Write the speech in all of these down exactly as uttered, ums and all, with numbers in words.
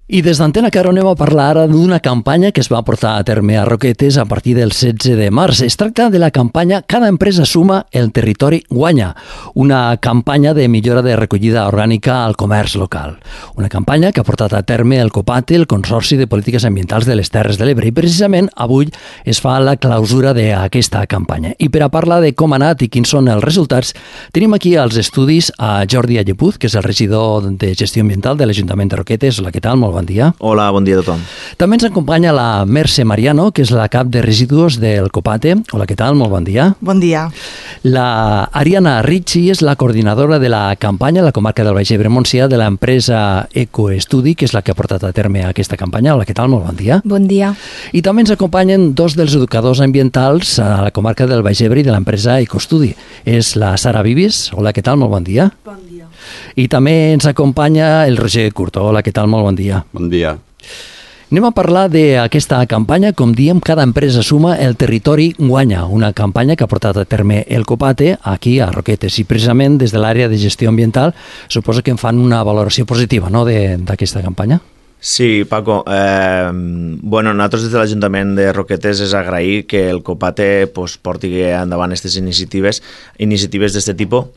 I des d'Antena Caro anem a parlar ara d'una campanya que es va portar a terme a Roquetes a partir del setze de març. Es tracta de la campanya Cada empresa suma, el territori guanya, una campanya de millora de recollida orgànica al comerç local. Una campanya que ha portat a terme el COPATE, el Consorci de Polítiques Ambientals de les Terres de l'Ebre, i precisament avui es fa la clausura d'aquesta campanya. I per a parlar de com ha anat i quins són els resultats, tenim aquí als estudis a Jordi Allepuz, que és el regidor de Gestió Ambiental de l'Ajuntament de Roquetes. Hola, què tal? Molt bon dia. Hola, bon dia a tothom. També ens acompanya la Mercè Mariano, que és la cap de residus del COPATE. Hola, què tal? Molt bon dia. Bon dia. La Ariana Ricci és la coordinadora de la campanya a la comarca del Baix Ebre-Montsià de l'empresa Ecoestudi, que és la que ha portat a terme aquesta campanya. Hola, què tal? Molt bon dia. Bon dia. I també ens acompanyen dos dels educadors ambientals a la comarca del Baix Ebre i de l'empresa Ecoestudi. És la Sara Vivis. Hola, què tal? Molt bon dia. Bon dia. I també ens acompanya el Roger Curto. Hola, què tal? Molt bon dia. Bon dia. Anem a parlar d'aquesta campanya, com diem, Cada empresa suma, el territori guanya, una campanya que ha portat a terme el COPATE aquí a Roquetes, i precisament des de l'àrea de gestió ambiental suposo que en fan una valoració positiva, no?, d'aquesta campanya. Sí, Paco. Eh, bueno, nosaltres des de l'Ajuntament de Roquetes és agrair que el COPATE pues, porti endavant aquestes iniciatives, iniciatives d'aquest tipus,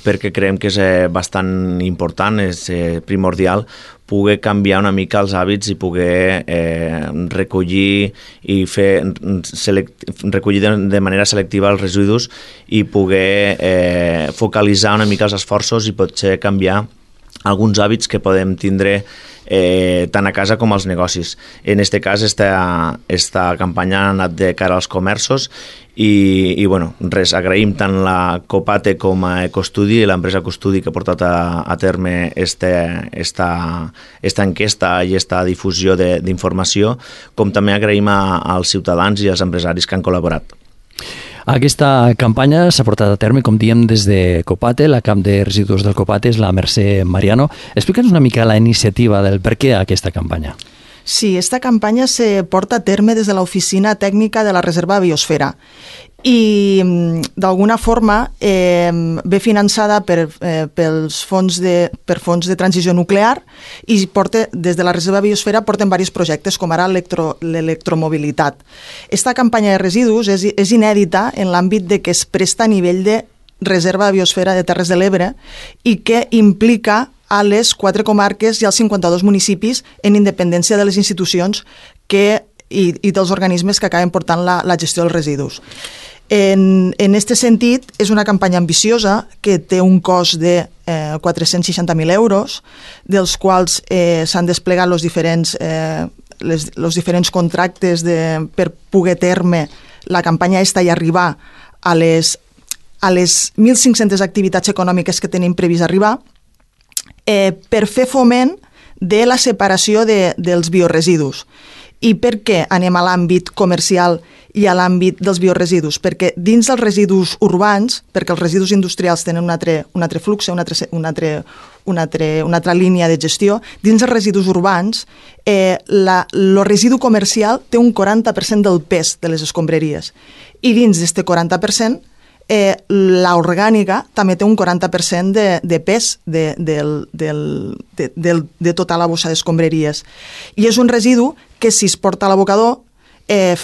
perquè creiem que és eh, bastant important, és eh, primordial poder canviar una mica els hàbits i poder eh, recollir i fer select, recollir de, de manera selectiva els residus i poder eh, focalitzar una mica els esforços i potser canviar alguns hàbits que podem tindre eh, tant a casa com als negocis. En aquest cas, esta, esta campanya ha anat de cara als comerços i, i bueno, res, agraïm tant la COPATE com a Ecostudi i l'empresa Ecostudi que ha portat a, a terme este, esta, esta enquesta i esta difusió d'informació, com també agraïm a, als ciutadans i als empresaris que han col·laborat. Aquesta campanya s'ha portat a terme, com diem, des de COPATE. La cap de residus del COPATE és la Mercè Mariano. Explica'ns una mica la iniciativa del per què aquesta campanya. Sí, esta campanya se porta a terme des de l'Oficina Tècnica de la Reserva Biosfera i d'alguna forma eh, ve finançada per, eh, pels fons de, per fons de transició nuclear i porta, des de la Reserva Biosfera porten diversos projectes com ara l'electromobilitat. Esta campanya de residus és, és inèdita en l'àmbit de que es presta a nivell de Reserva Biosfera de Terres de l'Ebre i que implica a les quatre comarques i als cinquanta-dos municipis en independència de les institucions que, i, i dels organismes que acaben portant la, la gestió dels residus. En, en este sentit, és una campanya ambiciosa que té un cost de eh, quatre-cents seixanta mil euros, dels quals eh, s'han desplegat els diferents, eh, les, els diferents contractes de, per poder terme la campanya esta i arribar a les, a les mil cinc-centes activitats econòmiques que tenim previst arribar, eh, per fer foment de la separació de, dels bioresidus. I per què anem a l'àmbit comercial i a l'àmbit dels bioresidus? Perquè dins dels residus urbans, perquè els residus industrials tenen un altre, un altre flux, una altra, una, altra, una, altra, una altra línia de gestió, dins dels residus urbans, eh, la, el residu comercial té un quaranta per cent del pes de les escombraries. I dins d'aquest quaranta per cent, eh, l'orgànica també té un quaranta per cent de, de pes de, del, del, de, del, de tota la bossa d'escombraries. I és un residu que si es porta a l'abocador eh,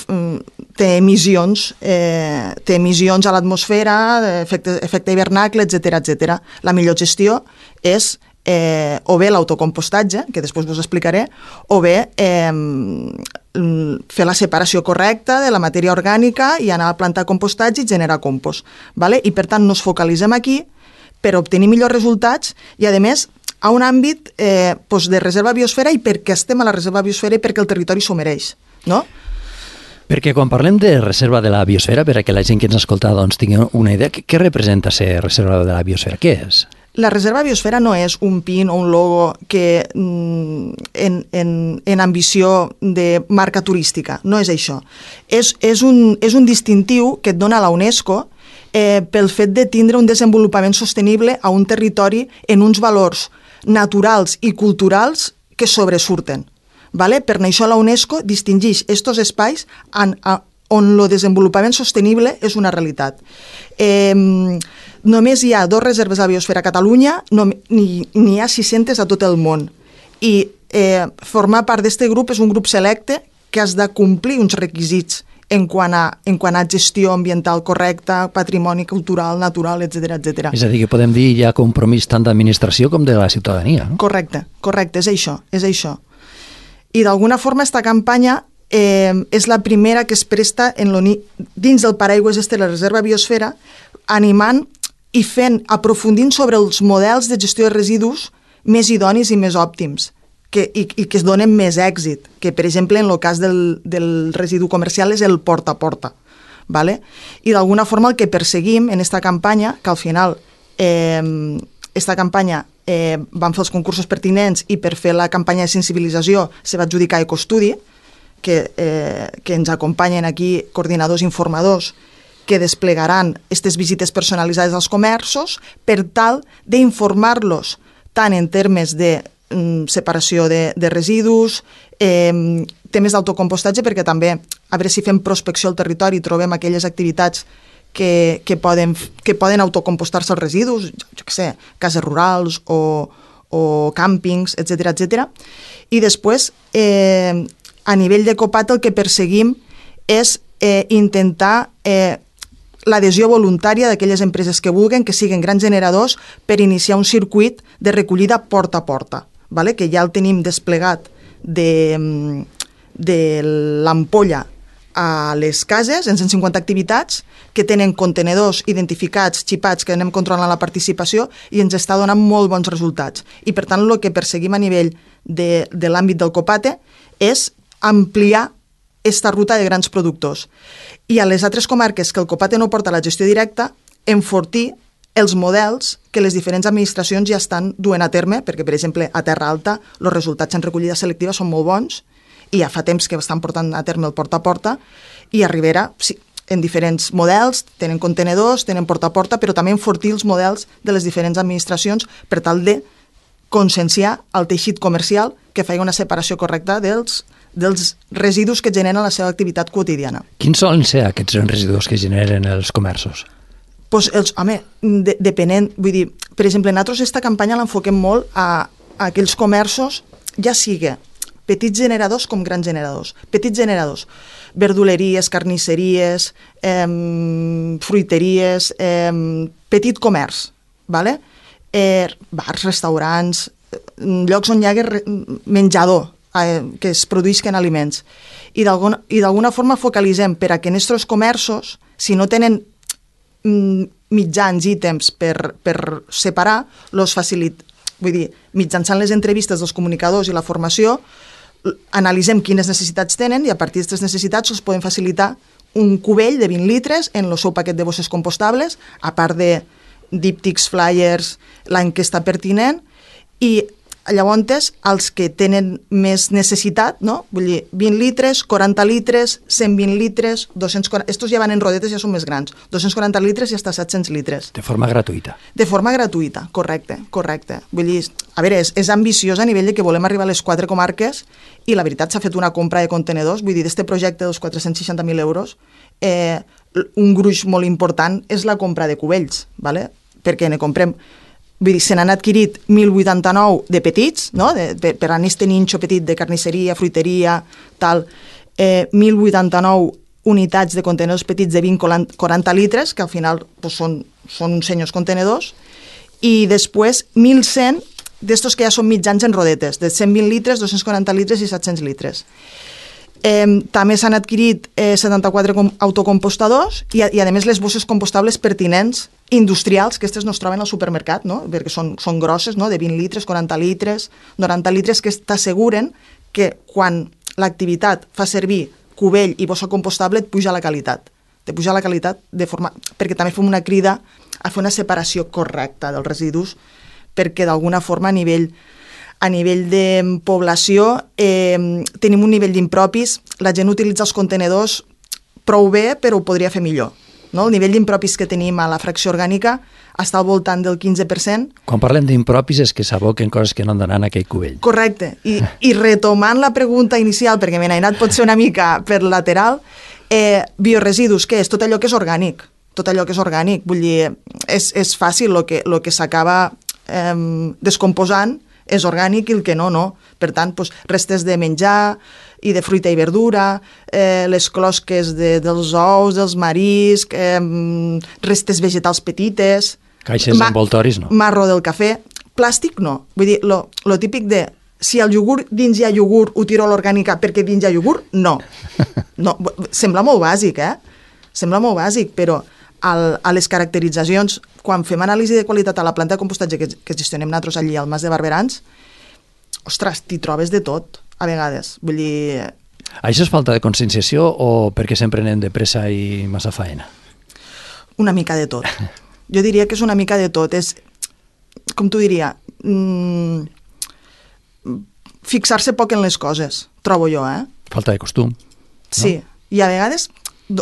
té emissions, eh, té emissions a l'atmosfera, efecte, efecte hivernacle, etcètera, etcètera. La millor gestió és eh, o bé l'autocompostatge, que després us explicaré, o bé eh, fer la separació correcta de la matèria orgànica i anar a plantar compostatge i generar compost. Vale? I per tant nos focalitzem aquí per obtenir millors resultats i a més a un àmbit eh, doncs de reserva biosfera i perquè estem a la reserva biosfera i perquè el territori s'ho mereix, no? Perquè quan parlem de reserva de la biosfera, per a que la gent que ens escolta doncs, tingui una idea, què representa ser reserva de la biosfera? Què és? La reserva biosfera no és un pin o un logo que en, en, en ambició de marca turística, no és això. És, és, un, és un distintiu que et dona la UNESCO eh, pel fet de tindre un desenvolupament sostenible a un territori en uns valors naturals i culturals que sobresurten. Vale? Per això la UNESCO distingeix aquests espais en, a, on el desenvolupament sostenible és una realitat. Eh, només hi ha dos reserves de biosfera a Catalunya, no, n'hi ha sis-centes a tot el món. I eh, formar part d'aquest grup és un grup selecte que has de complir uns requisits en quant a, en quant a gestió ambiental correcta, patrimoni cultural, natural, etcètera, etcètera. És a dir, que podem dir hi ha compromís tant d'administració com de la ciutadania, no? Correcte, correcte, és això, és això. I d'alguna forma esta campanya eh, és la primera que es presta en dins del paraigües este de la Reserva Biosfera, animant i fent, aprofundint sobre els models de gestió de residus més idonis i més òptims, que, i, i que es donen més èxit, que per exemple en el cas del, del residu comercial és el porta a porta. ¿Vale? I d'alguna forma el que perseguim en esta campanya, que al final eh, esta campanya eh, van fer els concursos pertinents i per fer la campanya de sensibilització se va adjudicar Ecostudi, que, eh, que ens acompanyen aquí coordinadors i informadors que desplegaran aquestes visites personalitzades als comerços per tal d'informar-los tant en termes de mm, separació de, de residus, eh, temes d'autocompostatge, perquè també a veure si fem prospecció al territori i trobem aquelles activitats que, que, poden, que poden autocompostar-se els residus, jo, jo què sé, cases rurals o, o càmpings, etcètera, etcètera. I després, eh, a nivell de Copat, el que perseguim és eh, intentar eh, l'adhesió voluntària d'aquelles empreses que vulguen, que siguin grans generadors, per iniciar un circuit de recollida porta a porta, ¿vale? Que ja el tenim desplegat de, de l'ampolla a les cases, en cent cinquanta activitats, que tenen contenedors identificats, xipats, que anem controlant la participació i ens està donant molt bons resultats. I per tant, el que perseguim a nivell de, de l'àmbit del Copate és ampliar esta ruta de grans productors. I a les altres comarques que el Copate no porta la gestió directa, enfortir els models que les diferents administracions ja estan duent a terme, perquè, per exemple, a Terra Alta els resultats en recollida selectiva són molt bons i ja fa temps que estan portant a terme el porta a porta, i a Ribera, sí, en diferents models, tenen contenedors, tenen porta a porta, però també enfortir els models de les diferents administracions per tal de conscienciar el teixit comercial que faci una separació correcta dels dels residus que generen la seva activitat quotidiana. Quins solen ser aquests residus que generen els comerços? Pues els, home, de, depenent, vull dir, per exemple, nosaltres aquesta campanya l'enfoquem molt a, a aquells comerços, ja sigui petits generadors com grans generadors. Petits generadors, verduleries, carnisseries, eh, fruiteries, eh, petit comerç, ¿vale? eh, bars, restaurants, llocs on hi hagi menjador, que es produïsquen aliments. I d'alguna forma focalitzem per a que en aquests comerços, si no tenen mitjans, ítems per, per separar, los facilit... vull dir, mitjançant les entrevistes dels comunicadors i la formació, analitzem quines necessitats tenen i a partir d'aquestes necessitats els podem facilitar un cubell de vint litres en el seu paquet de bosses compostables, a part de díptics, flyers, l'enquesta pertinent, i llavors, els que tenen més necessitat, no? Vull dir, vint litres, quaranta litres, cent vint litres, dos-cents quaranta... Estos ja van en rodetes, ja són més grans. dos-cents quaranta litres i fins a set-cents litres. De forma gratuïta. De forma gratuïta, correcte, correcte. Vull dir, a veure, és, és ambiciós a nivell de que volem arribar a les quatre comarques i la veritat s'ha fet una compra de contenedors, vull dir, d'este projecte dels quatre-cents seixanta mil euros, eh, un gruix molt important és la compra de cubells, ¿vale? Perquè ne comprem... Vull dir, se n'han adquirit mil vuitanta-nou de petits, no? de, de, per a aquest ninxo petit de carnisseria, fruiteria, tal, eh, mil vuitanta-nou unitats de contenedors petits de vint a quaranta litres, que al final pues, són, són uns senyors contenedors, i després mil cent d'estos que ja són mitjans en rodetes, de cent vint litres, dos-cents quaranta litres i set-cents litres. Eh, també s'han adquirit eh, setanta-quatre autocompostadors i, i a més les bosses compostables pertinents industrials, que aquestes no es troben al supermercat, no? Perquè són, són grosses, no? De vint litres, quaranta litres, noranta litres, que t'asseguren que quan l'activitat fa servir cubell i bossa compostable et puja la qualitat. Te puja la qualitat de forma... perquè també fem una crida a fer una separació correcta dels residus, perquè d'alguna forma a nivell a nivell de població eh, tenim un nivell d'impropis, la gent utilitza els contenedors prou bé, però ho podria fer millor. No? El nivell d'impropis que tenim a la fracció orgànica està al voltant del quinze per cent. Quan parlem d'impropis és que s'aboquen coses que no han d'anar en aquell cubell. Correcte. I, i retomant la pregunta inicial, perquè me n'he anat potser una mica per lateral, eh, bioresidus, què és? Tot allò que és orgànic. Tot allò que és orgànic. Vull dir, és, és fàcil el que, lo que s'acaba eh, descomposant és orgànic i el que no, no. Per tant, doncs, restes de menjar i de fruita i verdura, eh, les closques de, dels ous, dels mariscs, eh, restes vegetals petites... Caixes ma envoltoris, no? Marro del cafè. Plàstic, no. Vull dir, lo, lo típic de... Si al iogurt dins hi ha iogurt, ho tiro a l'orgànica perquè dins hi ha iogurt, no. no. Sembla molt bàsic, eh? Sembla molt bàsic, però al, a les caracteritzacions, quan fem anàlisi de qualitat a la planta de compostatge que, que gestionem nosaltres allí al Mas de Barberans, ostres, t'hi trobes de tot, a vegades. Vull dir... Això és falta de conscienciació o perquè sempre anem de pressa i massa faena? Una mica de tot. Jo diria que és una mica de tot. És, com t'ho diria, mmm, fixar-se poc en les coses, trobo jo, eh? Falta de costum. Sí, no? I a vegades,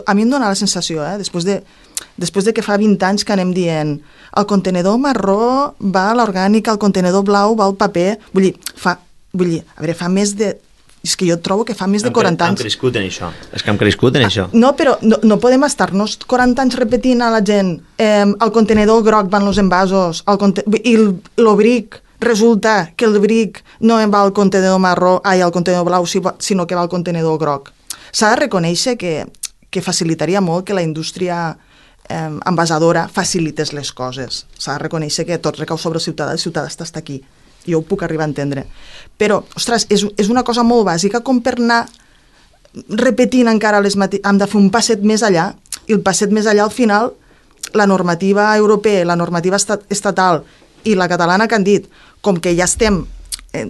a mi em dóna la sensació, eh? Després de, després de que fa vint anys que anem dient el contenedor marró va a l'orgànica, el contenedor blau va al paper, vull dir, fa, vull dir, a veure, fa més de... És que jo trobo que fa més de quaranta anys... Hem crescut en això. És que hem crescut en això. No, però no, no podem estar-nos quaranta anys repetint a la gent eh, el contenedor groc van els envasos, el conte... i el, el bric, resulta que el bric no va al contenedor marró, ai, al contenedor blau, sinó que va al contenedor groc. S'ha de reconèixer que, que facilitaria molt que la indústria eh, envasadora facilités les coses. S'ha de reconèixer que tot recau sobre el ciutadà, el ciutadà està, està aquí. Jo ho puc arribar a entendre. Però, ostres, és, és una cosa molt bàsica com per anar repetint encara les mateixes... Hem de fer un passet més allà, i el passet més allà, al final, la normativa europea, la normativa estat, estatal i la catalana que han dit, com que ja estem eh,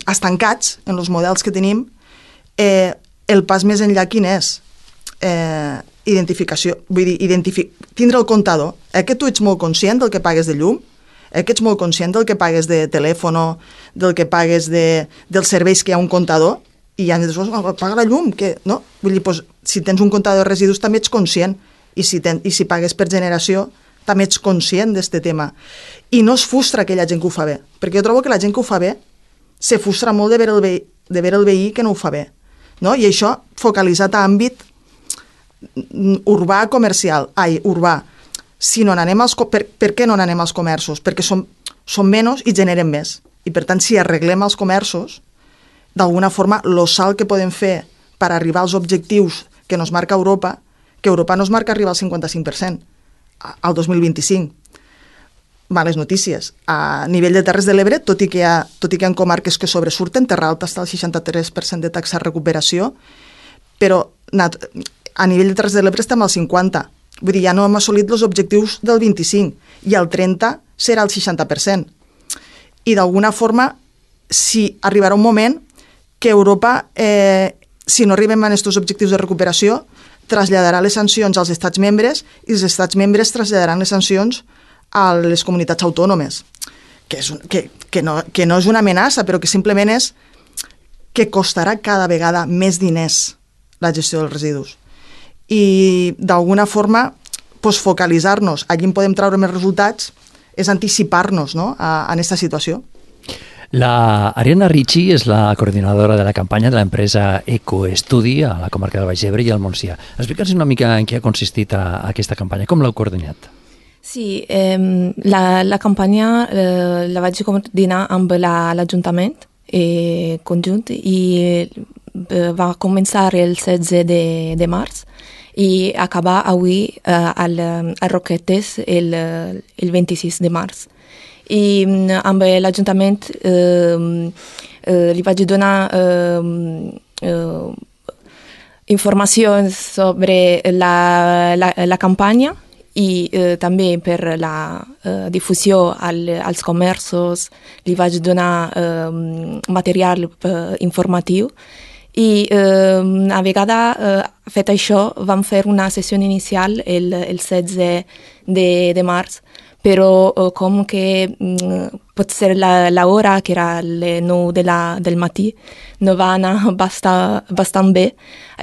estancats en els models que tenim, eh, el pas més enllà quin és? Eh, identificació, vull dir, identifi tindre el comptador. Eh, que tu ets molt conscient del que pagues de llum? Eh, que ets molt conscient del que pagues de telèfon, del que pagues de, dels serveis que hi ha un comptador, i ja després paga la llum, que, no? Vull dir, doncs, si tens un comptador de residus també ets conscient, i si, ten, i si pagues per generació també ets conscient d'aquest tema. I no es frustra aquella gent que ho fa bé, perquè jo trobo que la gent que ho fa bé se frustra molt de veure el veí, de veure el veí que no ho fa bé, no? I això focalitzat a àmbit urbà comercial, ai, urbà. Si no n'anem als, per, per què no n'anem als comerços? Perquè som, som menys i generen més. I per tant, si arreglem els comerços, d'alguna forma, el salt que podem fer per arribar als objectius que nos marca Europa, que Europa nos marca arribar al cinquanta-cinc per cent al dos mil vint-i-cinc. Males notícies. A nivell de Terres de l'Ebre, tot i que hi ha, tot i que hi ha comarques que sobresurten, Terra Alta està al seixanta-tres per cent de taxa de recuperació, però a nivell de Terres de l'Ebre estem al cinquanta per cent. Vull dir, ja no hem assolit els objectius del vint-i-cinc, i el trenta serà el seixanta per cent. I d'alguna forma, si arribarà un moment que Europa, eh, si no arribem a aquests objectius de recuperació, traslladarà les sancions als estats membres i els estats membres traslladaran les sancions a les comunitats autònomes, que, és un, que, que, no, que no és una amenaça, però que simplement és que costarà cada vegada més diners la gestió dels residus. I d'alguna forma pues, focalitzar-nos allí en podem treure més resultats és anticipar-nos, no?, a, a aquesta situació. La Ariana Ricci és la coordinadora de la campanya de l'empresa Ecoestudi a la comarca del Baix Ebre i al Montsià. Explica'ns una mica en què ha consistit a, a aquesta campanya, com l'heu coordinat? Sí, eh, la, la campanya eh, la vaig coordinar amb l'Ajuntament eh, conjunt i eh, va començar el setze de, de març i acabar avui eh, al, a Roquetes el, el vint-i-sis de març. I amb l'Ajuntament eh, eh, li vaig donar eh, eh, informacions sobre la, la, la campanya i eh, també per la eh, difusió al, als comerços li vaig donar eh, material eh, informatiu. I eh, a vegada, eh, fet això, vam fer una sessió inicial el, el setze de, de març, però eh, com que mm, pot ser la, la hora, que era les nou de la, del matí, no va anar bastant, bastant bé,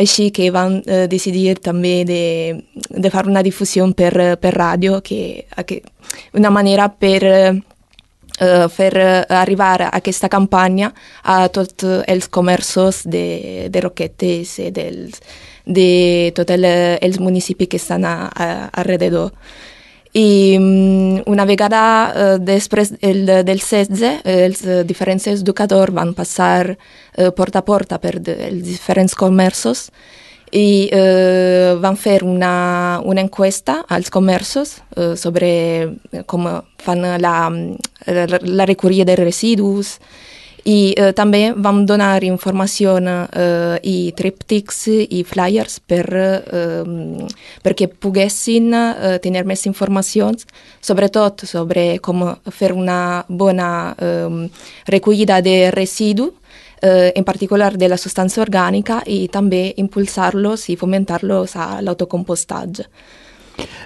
així que vam eh, decidir també de, de fer una difusió per, per ràdio, que, que una manera per... Eh, Uh, fer uh, arribar aquesta campanya a tots els comerços de, de Roquetes i dels, de tots el, els municipis que estan a, a, alrededor. I una vegada eh, després el, del setze, els diferents educadors van passar eh, porta a porta per de, els diferents comerços i eh, van fer una, una encuesta als comerços eh, sobre com fan la, la, la recollida de residus i eh, també vam donar informació eh, i tríptics i flyers per, eh, perquè poguessin eh, tenir més informacions, sobretot sobre com fer una bona eh, recollida de residus, Eh, en particular de la sostanza orgànica i també impulsar-los i fomentar-los a l'autocompostatge.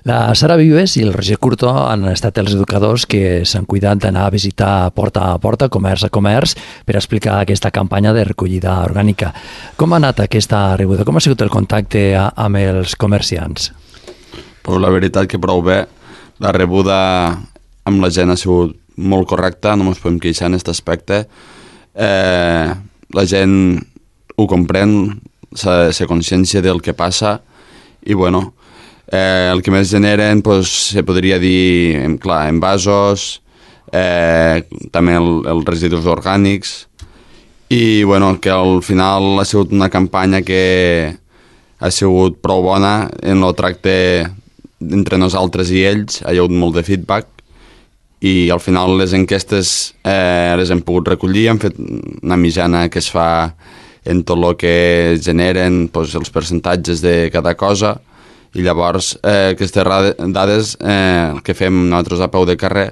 La Sara Vives i el Roger Curto han estat els educadors que s'han cuidat d'anar a visitar porta a porta, comerç a comerç, per explicar aquesta campanya de recollida orgànica. Com ha anat aquesta rebuda? Com ha sigut el contacte a, amb els comerciants? Pues la veritat que prou bé. La rebuda amb la gent ha sigut molt correcta, no ens podem queixar en aquest aspecte. Eh, la gent ho comprèn, se, se consciència del que passa i bueno, eh, el que més generen pues, se podria dir, clar, envasos, eh, també el, els residus orgànics i bueno, que al final ha sigut una campanya que ha sigut prou bona en el tracte entre nosaltres i ells, ha hagut molt de feedback i al final les enquestes eh, les hem pogut recollir, hem fet una mitjana que es fa en tot el que generen, doncs, els percentatges de cada cosa i llavors eh, aquestes dades eh, el que fem nosaltres a peu de carrer,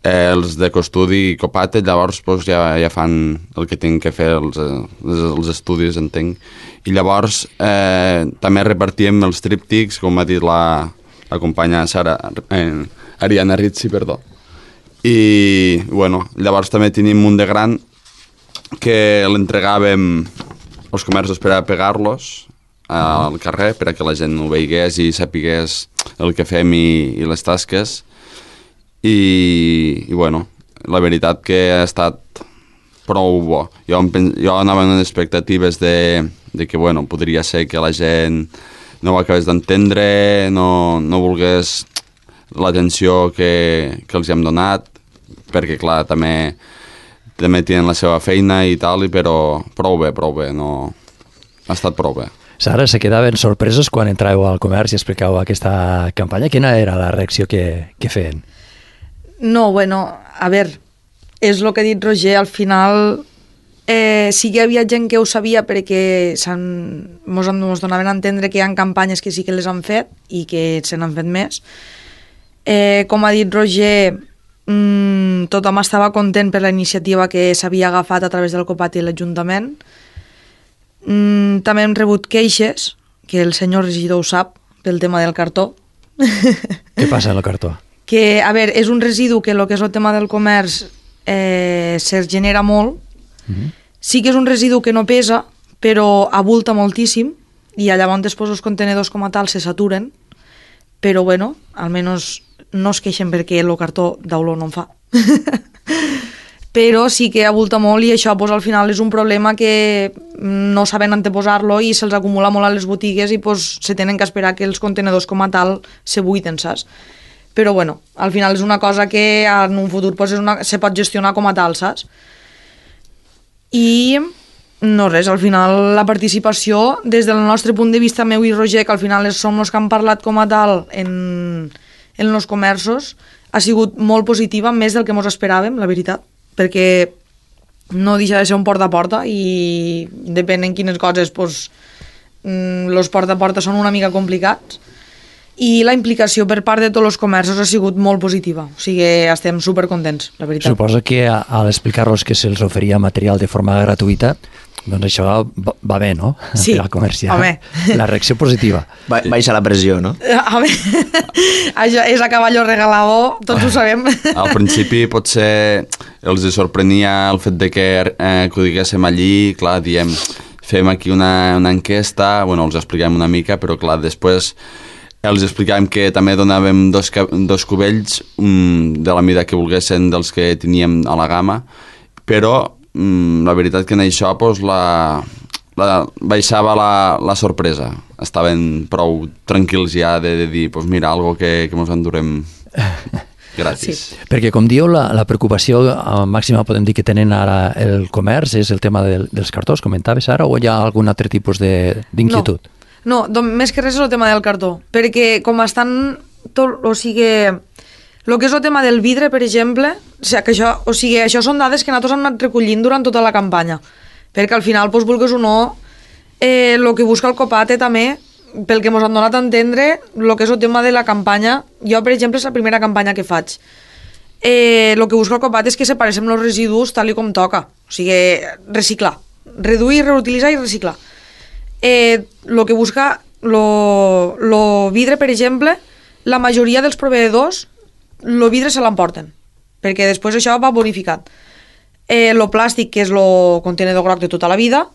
eh, els de Costudi i Copate, llavors doncs, ja, ja fan el que tinc que fer els, els, els estudis, entenc. I llavors eh, també repartíem els tríptics, com ha dit la, la companya Sara, eh, Ariana Rizzi, perdó. I bueno, llavors també tenim un de gran que l'entregàvem als comerços per a pegar-los al carrer, per a que la gent ho veigués i sapigués el que fem i, i les tasques. I, i bueno, la veritat que ha estat prou bo. Jo, jo anava amb expectatives de, de que bueno, podria ser que la gent no ho acabés d'entendre, no, no volgués l'atenció que, que els hem donat, perquè clar, també, també tenen la seva feina i tal, però prou bé, prou bé, no... ha estat prou bé. Sara, se quedaven sorpresos quan entràveu al comerç i explicàveu aquesta campanya? Quina era la reacció que, que feien? No, bueno, a veure, és el que ha dit Roger, al final eh, sí que hi havia gent que ho sabia perquè mos, mos donaven a entendre que hi ha campanyes que sí que les han fet i que se n'han fet més. Eh, com ha dit Roger, mmm, tothom estava content per la iniciativa que s'havia agafat a través del Copat i l'Ajuntament. Mm, també hem rebut queixes, que el senyor regidor ho sap, pel tema del cartó. Què passa amb el cartó? Que, a veure, és un residu que el que és el tema del comerç eh, se genera molt. Mm-hmm. Sí que és un residu que no pesa, però abulta moltíssim, i llavors després els contenedors com a tal se saturen, però bueno, almenys no es queixen perquè el cartó d'olor no en fa. Però sí que abulta molt i això pues, al final és un problema que no saben anteposar-lo i se'ls acumula molt a les botigues i pues, se tenen que esperar que els contenedors com a tal se buiden, saps? Però bueno, al final és una cosa que en un futur pues, és una, se pot gestionar com a tal, saps? I no res, al final la participació des del nostre punt de vista meu i Roger, que al final som els que han parlat com a tal en, en els comerços, ha sigut molt positiva, més del que ens esperàvem, la veritat, perquè no deixa de ser un porta a porta i depèn en quines coses pues, els porta a porta són una mica complicats i la implicació per part de tots els comerços ha sigut molt positiva, o sigui estem supercontents, la veritat. Suposo que al explicar-los que se'ls oferia material de forma gratuïta, doncs això va, va bé, no? Sí, per al comerciant. home. La reacció positiva. Ba baixa la pressió, no? Home, això és a caballo regalado, tots ho sabem. Al principi potser els sorprenia el fet de que, eh, que ho diguéssim allí, clar, diem, fem aquí una, una enquesta, bueno, els expliquem una mica, però clar, després els explicàvem que també donàvem dos, dos cubells um, de la mida que volguessin dels que teníem a la gamma, però um, la veritat que en això pues, la, la, baixava la, la sorpresa. Estaven prou tranquils ja de, de dir, pues mira, algo que, que mos endurem. Gratis. Sí. Perquè, com diu, la, la preocupació màxima, podem dir, que tenen ara el comerç és el tema del, dels cartons, comentaves ara, o hi ha algun altre tipus d'inquietud? No, no doncs, més que res és el tema del cartó, perquè com estan, tot, o sigui, el que és el tema del vidre, per exemple, o sigui, que això, o sigui, això són dades que nosaltres hem anat recollint durant tota la campanya, perquè al final, doncs, vulguis o no, eh, el que busca el Copate també, pel que ens han donat a entendre, el que és el tema de la campanya, jo, per exemple, és la primera campanya que faig. Eh, el que busca el Copate és que separem els residus tal i com toca, o sigui, reciclar, reduir, reutilitzar i reciclar. Eh, el que busca el vidre, per exemple, la majoria dels proveïdors el vidre se l'emporten, perquè després això va bonificat. Eh, el plàstic, que és el contenedor groc de tota la vida,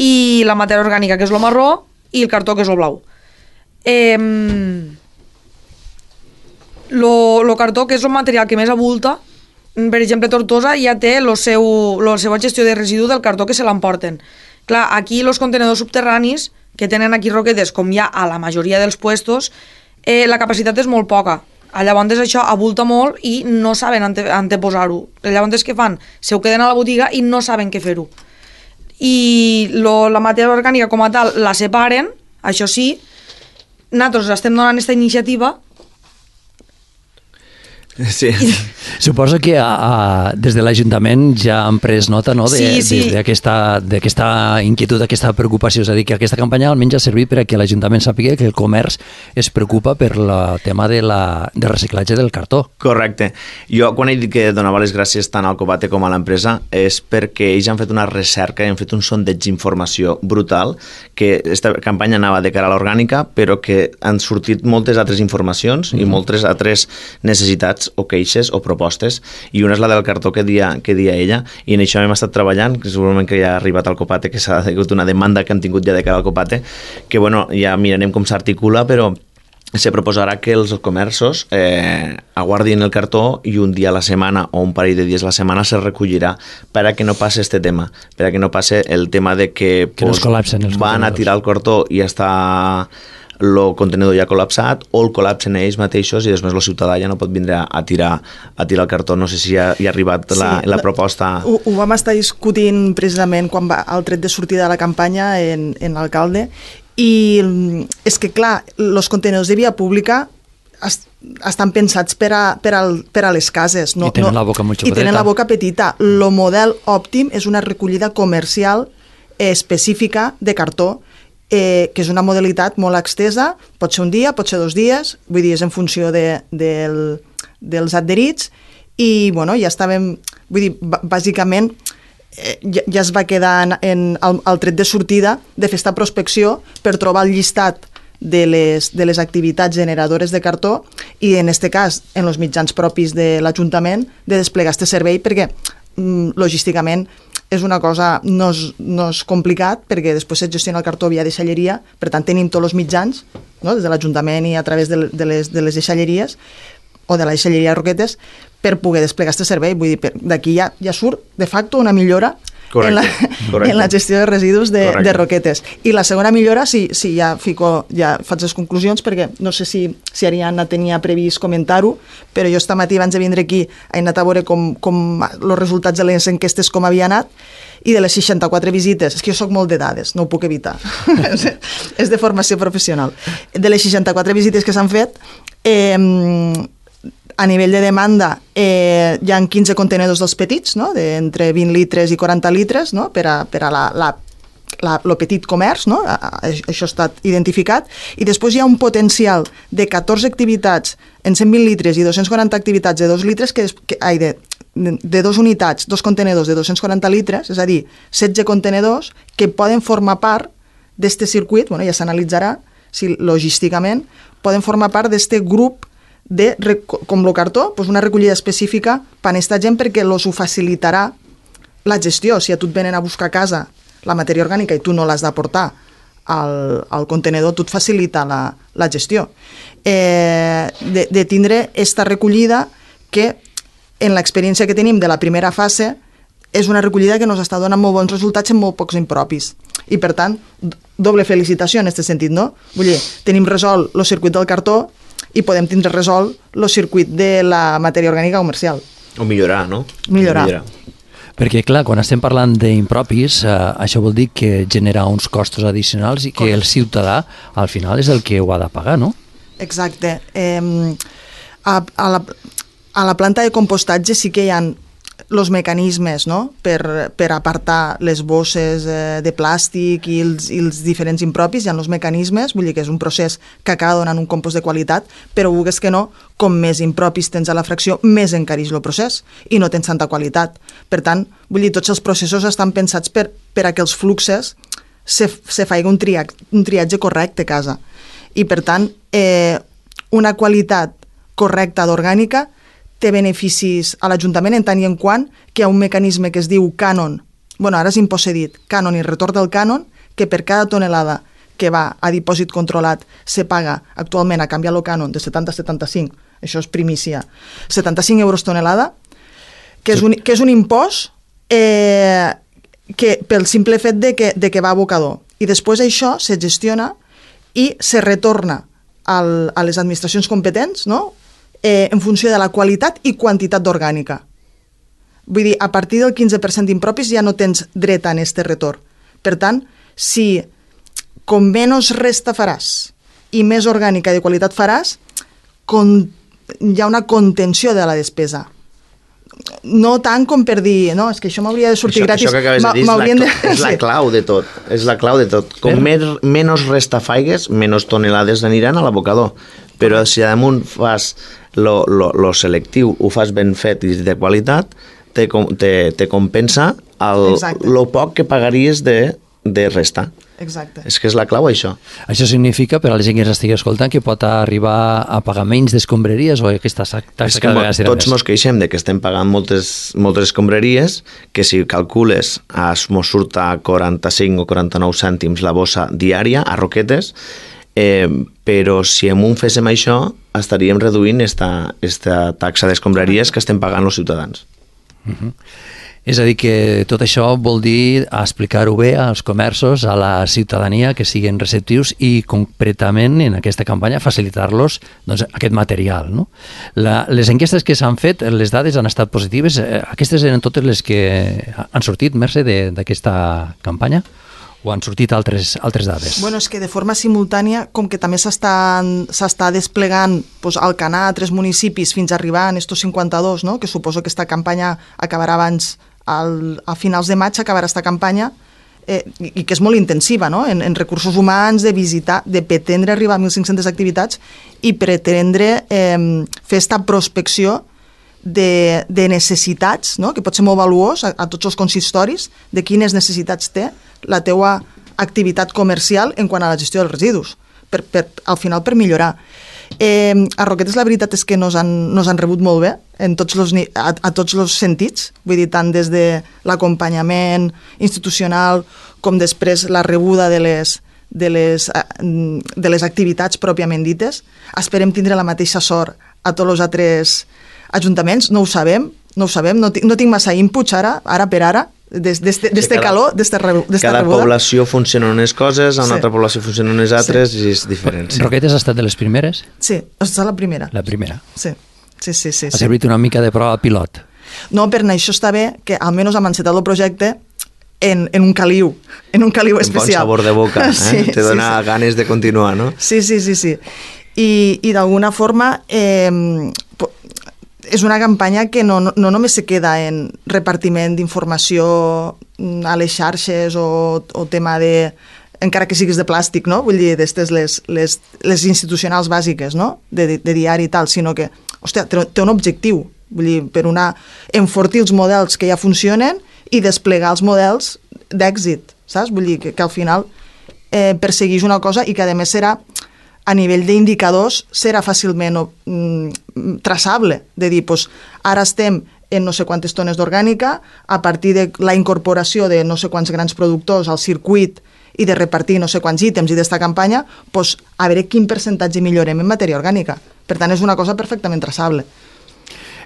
i la matèria orgànica, que és el marró, i el cartó, que és el blau. Eh, lo, lo cartó, que és el material que més abulta, per exemple, Tortosa ja té la seva gestió de residu del cartó que se l'emporten. Clar, aquí els contenedors subterranis que tenen aquí Roquetes, com hi ha a la majoria dels puestos, eh, la capacitat és molt poca. Llavors això abulta molt i no saben ante, anteposar-ho. Llavors què fan? Se ho queden a la botiga i no saben què fer-ho. I lo, la matèria orgànica com a tal la separen, això sí, nosaltres estem donant aquesta iniciativa. Sí. Suposo que a, a, des de l'Ajuntament ja han pres nota, no, sí, sí. d'aquesta inquietud, d'aquesta preocupació. És a dir, que aquesta campanya almenys ha servit per a que l'Ajuntament sàpiga que el comerç es preocupa per el tema de, la, de reciclatge del cartó. Correcte. Jo, quan he dit que donava les gràcies tant al Copate com a l'empresa, és perquè ells han fet una recerca i han fet un sondeig d'informació brutal, que aquesta campanya anava de cara a l'orgànica, però que han sortit moltes altres informacions mm-hmm. i moltes altres necessitats o queixes o propostes, i una és la del cartó que dia, que dia ella, i en això hem estat treballant, que segurament que ja ha arribat al Copate, que s'ha hagut una demanda que han tingut ja de cara al Copate, que bueno, ja mirarem com s'articula, però se proposarà que els comerços eh, aguardin el cartó i un dia a la setmana o un parell de dies a la setmana se recollirà per a que no passi este tema, per a que no passi el tema de que, que pues, no van a tirar el cartó i està el contenidor ja col·lapsat, o el col·lapsen ells mateixos i després el ciutadà ja no pot vindre a tirar, a tirar el cartó. No sé si ha, hi ha arribat sí, la, la proposta. Ho, ho vam estar discutint precisament quan va al tret de sortida de la campanya en, en l'alcalde, i és que clar, els contenidors de via pública est, estan pensats per a, per, al, per a les cases, no? I tenen no, la boca molt xocoteta. I tenen la boca petita. El model òptim és una recollida comercial específica de cartó, Eh, que és una modalitat molt extesa, pot ser un dia, pot ser dos dies, vull dir, és en funció de, de, dels adherits, i bueno, ja estàvem, vull dir, bàsicament eh, ja, ja es va quedar en, en el, el tret de sortida de fer esta prospecció per trobar el llistat de les, de les activitats generadores de cartó i en este cas en els mitjans propis de l'Ajuntament de desplegar este servei, perquè mm, logísticament és una cosa, no és, no és complicat, perquè després es gestiona el cartó via deixalleria, per tant tenim tots els mitjans, no? Des de l'Ajuntament i a través de, de, les, de les deixalleries, o de la deixalleria Roquetes, per poder desplegar aquest servei. Vull dir, d'aquí ja, ja surt de facto una millora correcte, en, la, correcte. en la gestió de residus de, de Roquetes. I la segona millora, sí, sí ja, fico, ja faig les conclusions, perquè no sé si, si Ariadna tenia previst comentar-ho, però jo esta matí abans de vindre aquí he anat a veure com, com els resultats de les enquestes com havia anat, i de les seixanta-quatre visites, és que jo soc molt de dades, no ho puc evitar, és de formació professional. De les seixanta-quatre visites que s'han fet, eh, a nivell de demanda eh, hi ha quinze contenedors dels petits, no? De entre vint litres i quaranta litres, no? Per a, per a la, la, la, lo petit comerç, no? Això ha estat identificat, i després hi ha un potencial de catorze activitats en cent vint litres i dos-cents quaranta activitats de dos litres, que, que, ai, de, de dos unitats, dos contenedors de dos-cents quaranta litres, és a dir, setze contenedors que poden formar part d'este circuit, bueno, ja s'analitzarà si logísticament poden formar part d'este grup de, com el cartó, doncs una recollida específica per a aquesta gent, perquè els ho facilitarà la gestió. Si a tu et venen a buscar a casa la matèria orgànica i tu no l'has d'aportar al, al contenedor, tu et facilita la, la gestió. Eh, de, de tindre aquesta recollida que, en l'experiència que tenim de la primera fase, és una recollida que ens està donant molt bons resultats en molt pocs impropis. I, per tant, doble felicitació en aquest sentit, no? Vull dir, tenim resolt el circuit del cartó i podem tindre resolt el circuit de la matèria orgànica comercial. O millorar, no? Millorar. millorar. Perquè, clar, quan estem parlant d'impropis, eh, això vol dir que genera uns costos addicionals i que el ciutadà, al final, és el que ho ha de pagar, no? Exacte. Eh, a, a, la, a la planta de compostatge sí que hi ha els mecanismes, no?, per, per apartar les bosses eh, de plàstic i els, i els diferents impropis. Hi ha els mecanismes, vull dir que és un procés que acaba donant un compost de qualitat, però vulguis que no, com més impropis tens a la fracció, més encareix el procés i no tens tanta qualitat. Per tant, vull dir, tots els processos estan pensats per, per a que els fluxes se, se faci un, tria, un triatge correcte a casa. I, per tant, eh, una qualitat correcta d'orgànica té beneficis a l'Ajuntament en tant i en quant que hi ha un mecanisme que es diu cànon, bueno, ara és impossedit, cànon i retorn del cànon, que per cada tonelada que va a dipòsit controlat se paga actualment a canviar el cànon de setanta a setanta-cinc, això és primícia, setanta-cinc euros tonelada, que és un, que és un impost eh, que, pel simple fet de que, de que va a abocador. I després això se gestiona i se retorna al, a les administracions competents, no?, Eh, en funció de la qualitat i quantitat d'orgànica. Vull dir, a partir del quinze per cent d'impropis ja no tens dret a este retorn. Per tant, si com menys resta faràs i més orgànica i de qualitat faràs, con, hi ha una contenció de la despesa. No tant com per dir, no, és que això m'hauria de sortir això, gratis. Això que acabes de dir és la, de... és la clau de tot. És la clau de tot. Com més, menys resta faigues, menys tonelades aniran a l'abocador. Però si damunt fas lo, lo, lo selectiu, ho fas ben fet i de qualitat, te, te, te compensa el, lo poc que pagaries de, de resta. Exacte. És que és la clau, això. Això significa, per a la gent que ens estigui escoltant, que pot arribar a pagar menys d'escombraries o aquesta taxa cada vegada serà més? Tots ens queixem de que estem pagant moltes, moltes escombraries, que si calcules ens surt a quaranta-cinc o quaranta-nou cèntims la bossa diària a Roquetes, eh, però si en un féssim això estaríem reduint esta, esta taxa d'escombraries que estem pagant els ciutadans. Uh-huh. És a dir, que tot això vol dir explicar-ho bé als comerços, a la ciutadania, que siguin receptius i concretament en aquesta campanya facilitar-los doncs, aquest material. No? La, les enquestes que s'han fet, les dades han estat positives. Aquestes eren totes les que han sortit, Mercè, d'aquesta campanya? O han sortit altres, altres dades? Bueno, és que de forma simultània, com que també s'està desplegant pues, al Canà a tres municipis fins a arribar a estos cinquanta-dos, no? Que suposo que aquesta campanya acabarà abans, al, a finals de maig acabarà aquesta campanya, eh, i, i que és molt intensiva, no? En, en recursos humans, de visitar, de pretendre arribar a mil cinc-centes activitats i pretendre eh, fer esta prospecció de, de necessitats, no? Que pot ser molt valuós a, a tots els consistoris, de quines necessitats té la teua activitat comercial en quant a la gestió dels residus, per, per, al final per millorar. Eh, a Roquetes la veritat és que nos han, nos han rebut molt bé en tots los, a, a tots els sentits, vull dir, tant des de l'acompanyament institucional com després la rebuda de les, de les, de les activitats pròpiament dites. Esperem tindre la mateixa sort a tots els altres ajuntaments, no ho sabem, no ho sabem, no, no tinc massa inputs ara, ara per ara, d'este sí, calor, d'esta rebuda. Cada població funciona unes coses, a una sí. altra població funciona unes altres sí. i és diferent. Sí. Roquetes ha estat de les primeres? Sí, ha estat la primera. La primera. Sí, sí, sí. sí ha servit sí. una mica de prova pilot. No, per això està bé que almenys hem encetat el projecte en, en un caliu, en un caliu especial. Un bon sabor de boca, eh? Sí, te dona sí, sí. ganes de continuar, no? Sí, sí, sí, sí. I, i d'alguna forma eh, és una campanya que no, no, no només se queda en repartiment d'informació a les xarxes o, o tema de, encara que siguis de plàstic, no? Vull dir, d'estes les, les, les institucionals bàsiques, no? De, de, de diari i tal, sinó que, hòstia, té, té un objectiu, vull dir, per una, enfortir els models que ja funcionen i desplegar els models d'èxit, saps? Vull dir, que, que al final eh, persegueix una cosa i que a més serà a nivell d'indicadors serà fàcilment mm, traçable, de dir, pues, ara estem en no sé quantes tones d'orgànica, a partir de la incorporació de no sé quants grans productors al circuit i de repartir no sé quants ítems i d'esta campanya, pues, a veure quin percentatge millorem en matèria orgànica. Per tant, és una cosa perfectament traçable.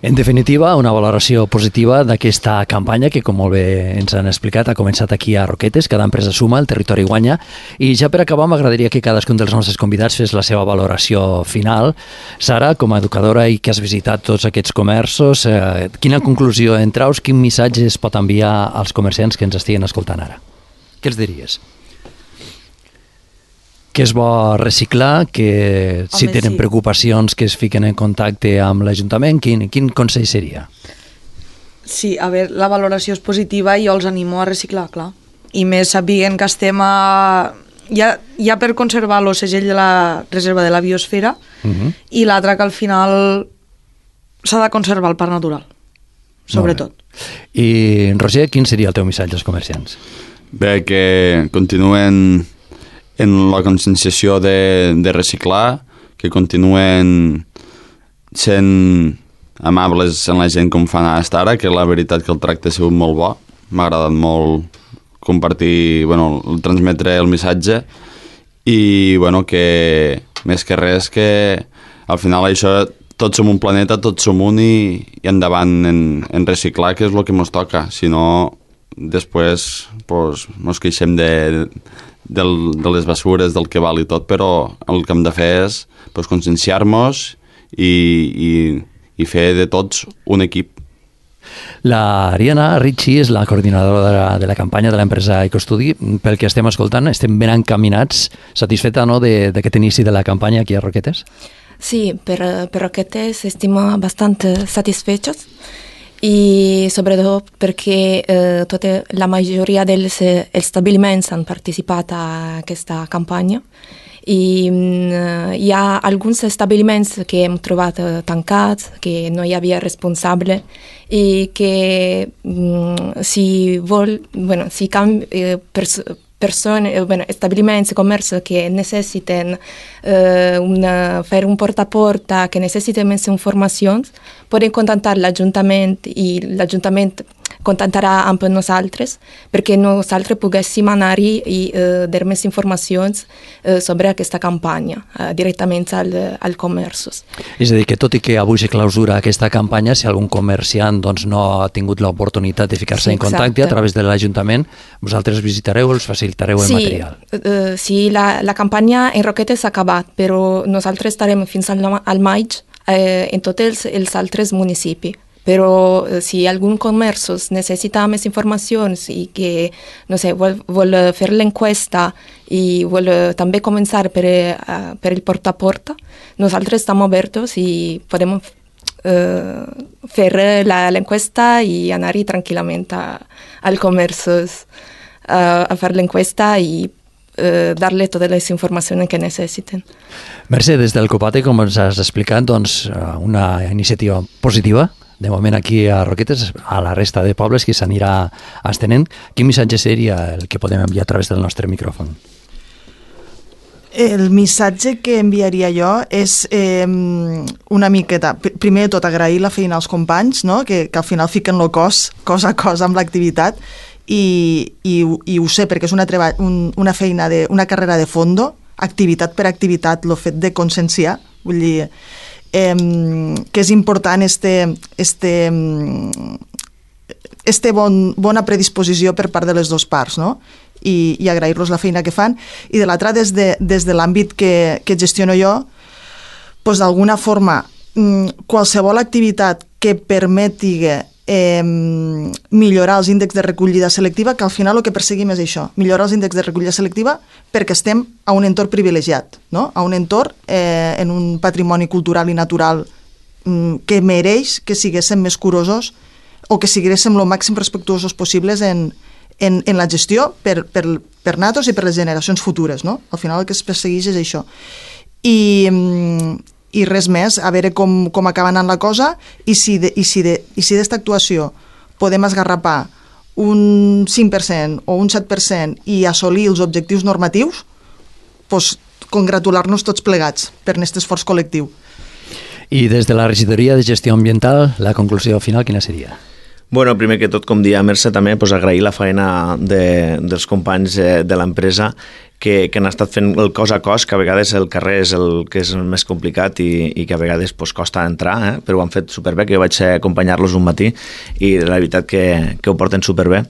En definitiva, una valoració positiva d'aquesta campanya que, com molt bé ens han explicat, ha començat aquí a Roquetes, cada empresa suma, el territori guanya, i ja per acabar m'agradaria que cadascun dels nostres convidats fes la seva valoració final. Sara, com a educadora i que has visitat tots aquests comerços, eh, quina conclusió en traus, quin missatge es pot enviar als comerciants que ens estiguen escoltant ara? Què els diries? Que és bo reciclar, que si Home, tenen sí. preocupacions que es fiquen en contacte amb l'Ajuntament, quin, quin consell seria? Sí, a veure, la valoració és positiva i jo els animo a reciclar, clar. I més sabent que estem a... Ja, ja per conservar el segell de la reserva de la biosfera Uh -huh. i l'altre que al final s'ha de conservar el parc natural, sobretot. I, Roger, quin seria el teu missatge als comerciants? Bé, que continuen en la conscienciació de, de reciclar, que continuen sent amables amb la gent com fan hasta ara, que la veritat que el tracte ha sigut molt bo. M'ha agradat molt compartir, bueno, transmetre el missatge i, bueno, que més que res que al final això, tots som un planeta, tots som un i, i endavant en, en reciclar, que és el que ens toca. Si no, després pues, ens queixem de, del, de les bessures, del que val i tot, però el que hem de fer és pues, conscienciar-nos i, i, i fer de tots un equip. La Ariana Ritchie és la coordinadora de la, de la campanya de l'empresa EcoStudi. Pel que estem escoltant, estem ben encaminats. Satisfeta, no, d'aquest inici de la campanya aquí a Roquetes? Sí, per, per Roquetes estem bastante satisfechos i sobretot perquè eh, tota la majoria dels establiments han participat a aquesta campanya i mm, hi ha alguns establiments que hem trobat eh, tancats, que no hi havia responsable i que mm, si vol, bueno, si canvi, eh, pers persone, eh, bueno, establiments, comerç que necessiten eh, una, fer un porta a porta, que necessiten més informacions, poden contactar l'Ajuntament i l'Ajuntament contactarà amb nosaltres perquè nosaltres poguéssim anar-hi i eh, dar més informacions eh, sobre aquesta campanya eh, directament al, al comerços. És a dir, que tot i que avui se clausura aquesta campanya, si algun comerciant doncs, no ha tingut l'oportunitat de ficar-se Sí, en contacte exacte. a través de l'Ajuntament, vosaltres visitareu, els facilitareu el Sí, material. eh, sí, la, la campanya en Roquetes s'ha acabat, però nosaltres estarem fins al, al maig eh, en tots els, els altres municipis. Però eh, si algun comerç necessita més informacions i que, no sé, vol, vol fer l'enquesta i vol eh, també començar per, eh, per el porta a porta, nosaltres estem oberts i podem eh, fer l'enquesta i anar-hi tranquil·lament a, al comerç a, a fer l'enquesta i eh, dar-li totes les informacions que necessiten. Mercè, des del Copate, com ens has explicat, doncs, una iniciativa positiva, de moment aquí a Roquetes, a la resta de pobles que s'anirà estenent. Quin missatge seria el que podem enviar a través del nostre micròfon? El missatge que enviaria jo és eh, una miqueta, primer de tot agrair la feina als companys, no? que, que al final fiquen el cos, cos a cos amb l'activitat, i, i, i ho sé perquè és una, treba, un, una feina, de, una carrera de fondo, activitat per activitat, el fet de conscienciar, vull dir, eh, que és important este, este, este bon, bona predisposició per part de les dues parts, no? I, i agrair-los la feina que fan. I de l'altra, des de, des de l'àmbit que, que gestiono jo, doncs d'alguna forma, qualsevol activitat que permeti eh, millorar els índexs de recollida selectiva, que al final el que perseguim és això, millorar els índexs de recollida selectiva perquè estem a un entorn privilegiat, no? A un entorn eh, en un patrimoni cultural i natural mm, que mereix que siguéssim més curosos o que siguéssim el màxim respectuosos possibles en, en, en la gestió per, per, per nosaltres i per les generacions futures, no? Al final el que es persegueix és això. I... Mm, i res més, a veure com, com acaba anant la cosa i si de, i si de, i si d'esta actuació podem esgarrapar un cinc per cent o un set per cent i assolir els objectius normatius, doncs congratular-nos tots plegats per aquest esforç col·lectiu. I des de la regidoria de gestió ambiental, la conclusió final quina seria? Bueno, primer que tot, com dia Mercè, també pues, agrair la feina de, dels companys eh, de l'empresa que, que han estat fent el cos a cos, que a vegades el carrer és el que és el més complicat i, i que a vegades pues, costa entrar, eh? Però ho han fet superbé, que jo vaig acompanyar-los un matí i la veritat que, que ho porten superbé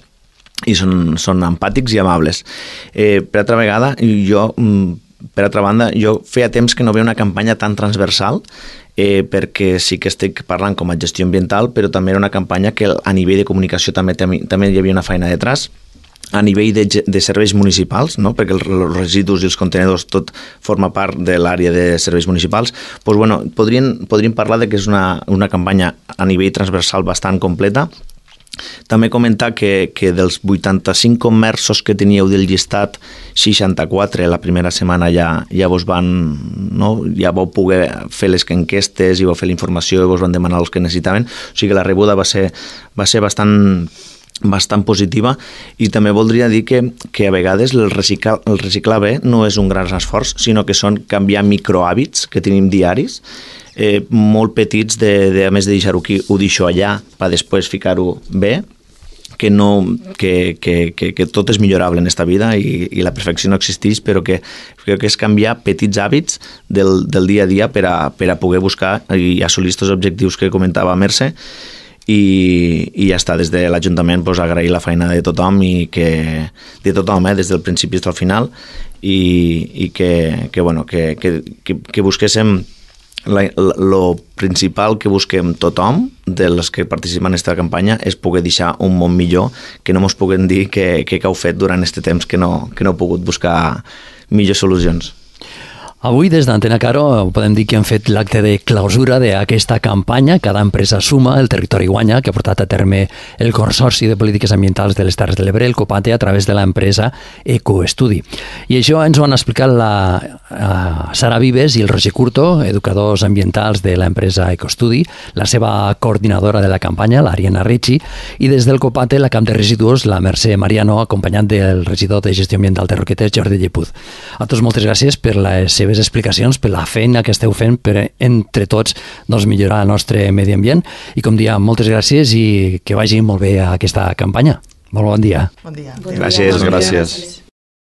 i són, són empàtics i amables. Eh, per altra vegada, jo, per altra banda, jo feia temps que no veia una campanya tan transversal, eh, perquè sí que estic parlant com a gestió ambiental, però també era una campanya que a nivell de comunicació també, també hi havia una feina detrás, a nivell de, de serveis municipals, no? Perquè els residus i els contenedors tot forma part de l'àrea de serveis municipals, doncs, bueno, podrien, podríem parlar de que és una, una campanya a nivell transversal bastant completa. També comentar que, que dels vuitanta-cinc comerços que teníeu del llistat, seixanta-quatre la primera setmana ja, ja vos van, no? Ja vau poder fer les enquestes i vau fer la informació i vos van demanar els que necessitaven, o sigui que la rebuda va ser, va ser bastant bastant positiva i també voldria dir que, que a vegades el reciclar, el reciclar bé no és un gran esforç, sinó que són canviar microhàbits que tenim diaris, eh, molt petits, de, de, a més de deixar-ho aquí, ho deixo allà per després ficar-ho bé, que, no, que, que, que, que tot és millorable en esta vida i, i la perfecció no existeix, però que crec que és canviar petits hàbits del, del dia a dia per a, per a poder buscar i assolir aquests objectius que comentava Mercè. I, i ja està, des de l'Ajuntament pues, agrair la feina de tothom i que, de tothom, eh, des del principi fins al final i, i que, que, bueno, que, que, que, que busquéssim el principal que busquem tothom dels que participen en aquesta campanya és poder deixar un món millor, que no mos puguem dir que, que heu fet durant aquest temps que no, que no heu pogut buscar millors solucions. Avui, des d'Antena Caro, podem dir que hem fet l'acte de clausura d'aquesta campanya. Cada empresa suma, el territori guanya, que ha portat a terme el Consorci de Polítiques Ambientals de les Terres de l'Ebre, el COPATE, a través de l'empresa Ecoestudi. I això ens ho han explicat la uh, Sara Vives i el Roger Curto, educadors ambientals de l'empresa Ecoestudi, la seva coordinadora de la campanya, l'Ariana Ricci, i des del COPATE, la Camp de Residus, la Mercè Mariano, acompanyant del regidor de Gestió Ambiental de Roquetes, Jordi Llepuz. A tots moltes gràcies per les seves explicacions, per la feina que esteu fent per entre tots doncs, millorar el nostre medi ambient i com dia, moltes gràcies i que vagi molt bé aquesta campanya. Molt bon dia. Bon dia. Gràcies, gràcies.